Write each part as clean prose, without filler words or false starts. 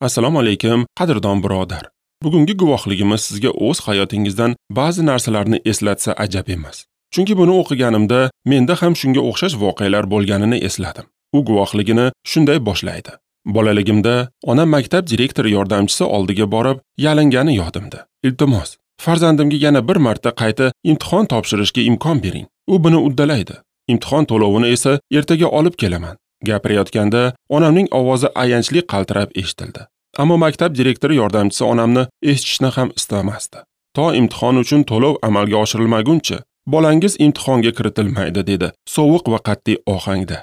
Assalomu alaykum, qadrdon birodar. Bugungi guvohligimiz sizga o'z hayotingizdan ba'zi narsalarni eslatsa ajab emas. Chunki buni o'qiganimda menda ham shunga o'xshash voqealar bo'lganini esladim. U guvohligini shunday boshlaydi. Bolaligimda onam maktab direktori yordamchisi oldiga borib yalingani yodimda. Iltimos, farzandimga yana bir marta qayta imtihon topshirishga imkon bering. U buni uddalaydi. Imtihon to'lovini esa ertaga olib kelaman. Gapirayotganda onamning ovozi ayanchli qaltirab eshitildi. Ammo maktab direktori yordamchisi onamni eshitishni ham istamasdi. To imtihon uchun to'lov amalga oshirilmaguncha bolangiz imtihonga kiritilmaydi, dedi sovuq va qat'iy ohangda.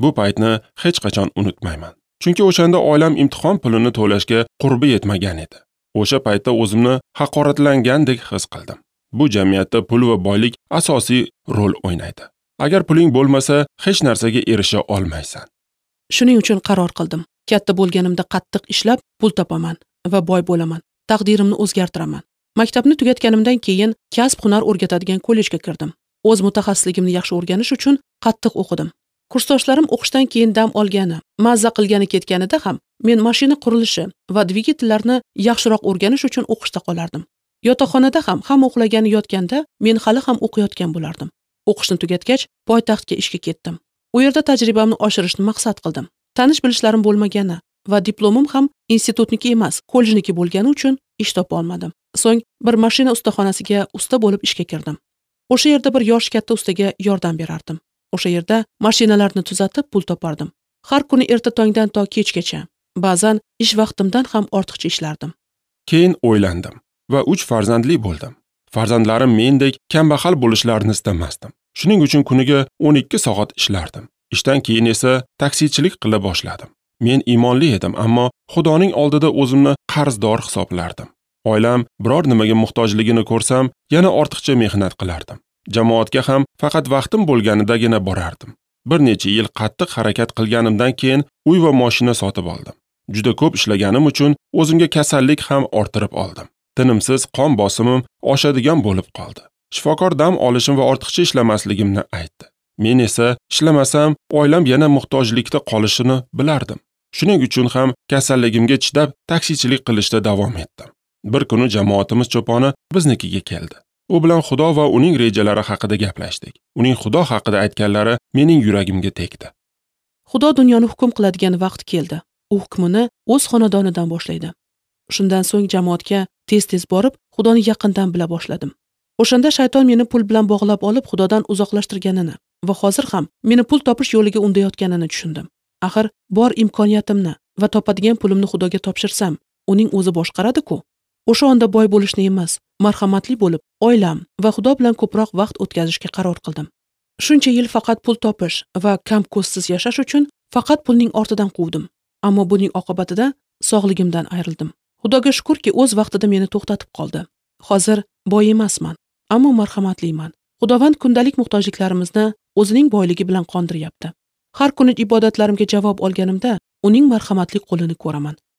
Bu paytni hech qachon unutmayman. Chunki o'shanda oilam imtihon pulini to'lashga qurbi yetmagan edi. O'sha paytda o'zimni haqoratlangandek his qildim. Bu jamiyatda pul va boylik asosiy rol o'ynaydi. Agar puling bo'lmasa, hech narsaga erisha olmaysan. Shuning uchun qaror qildim. Katta bo'lganimda qattiq ishlab pul topaman va boy bo'laman. Taqdirimni o'zgartiraman. Maktabni tugatganimdan keyin kasb-hunar o'rgatadigan kollejga kirdim. O'z mutaxassisligimni yaxshi o'rganish uchun qattiq o'qidim. Kursdoshlarim o'qishdan keyin dam olgani, mazza qilgani ketganida ham men mashina qurilishi va dvigatellarni yaxshiroq o'rganish uchun o'qishda qolardim. Yotoqxonada ham hamma uxlagani yotganda men hali ham o'qiyotgan bo'lardim. O'qishni tugatgach, poytaxtga ishga ketdim. U yerda tajribamni oshirishni maqsad qildim. Tanish bilishlarim bo'lmagani va diplomim ham institutniki emas, kollejniki bo'lgani uchun ish topa olmadim. So'ng bir mashina ustaxonasiga usta bo'lib ishga kirdim. O'sha yerda bir yosh katta ustaga yordam berardim. O'sha yerda mashinalarni tuzatib pul topardim. Har kuni erta tongdan to kechgacha, ba'zan ish vaqtimdan ham ortiqcha ishlardim. Keyin o'ylandim va 3 farzandli bo'ldim. Farzandlarim mendek kambag'al bo'lishlarini istamasdim. Shuning uchun kuniga 12 soat ishlardim. Ishdan keyin esa taksichilik qila boshladim. Men iymonli edim, ammo Xudoning oldida o'zimni qarzdor hisoblardim. Oilam biror nimaga muhtojligini ko'rsam, yana ortiqcha mehnat qilardim. Jamoatga ham faqat vaqtim bo'lganidagina borardim. Bir necha yil qattiq harakat qilganimdan keyin uy va mashina sotib oldim. Juda ko'p ishlaganim uchun o'zimga kasallik ham orttirib oldim. Tinimsiz qon bosimim oshadigan bo'lib qoldi. Shifokor dam olishim va ortiqcha ishlamasligimni aytdi. Men esa ishlamasam oilam yana muhtojlikda qolishini bilardim. Shuning uchun ham kasalligimga chidab taksichilik qilishda davom etdim. Bir kuni jamoatimiz cho'poni biznikiga keldi. U bilan Xudo va uning rejalari haqida gaplashdik. Uning Xudo haqida aytganlari mening yuragimga tegdi. Xudo dunyoni hukm qiladigan vaqt keldi. U hukmini o'z xonadonidan boshlaydi. Shundan so'ng jamoatga tez-tez borib, Xudoni yaqindan bila boshladim. O'shanda shayton meni pul bilan bog'lab olib, Xudodan uzoqlashtirganini va hozir ham meni pul topish yo'liga undayotganini tushundim. Axir bor imkoniyatimni va topadigan pulimni Xudoga topshirsam, uning o'zi boshqaradi-ku. O'sha onda boy bo'lishni emas, marhamatli bo'lib, oilam va Xudo bilan ko'proq vaqt o'tkazishga qaror qildim. Shuncha yil faqat pul topish va kam ko'zsiz yashash uchun faqat pulning ortidan quvdim. Ammo buning oqibatida sog'ligimdan ayrildim. Xudoga shukurki, o'z vaqtida meni to'xtatib qoldi. Hozir boy emasman, ammo marhamatliman. Xudovand kundalik muhtojliklarimizni o'zining boyligi bilan qondiryapti. Har kuni ibodatlarimga javob olganimda uning marhamatli qo'lini ko'raman.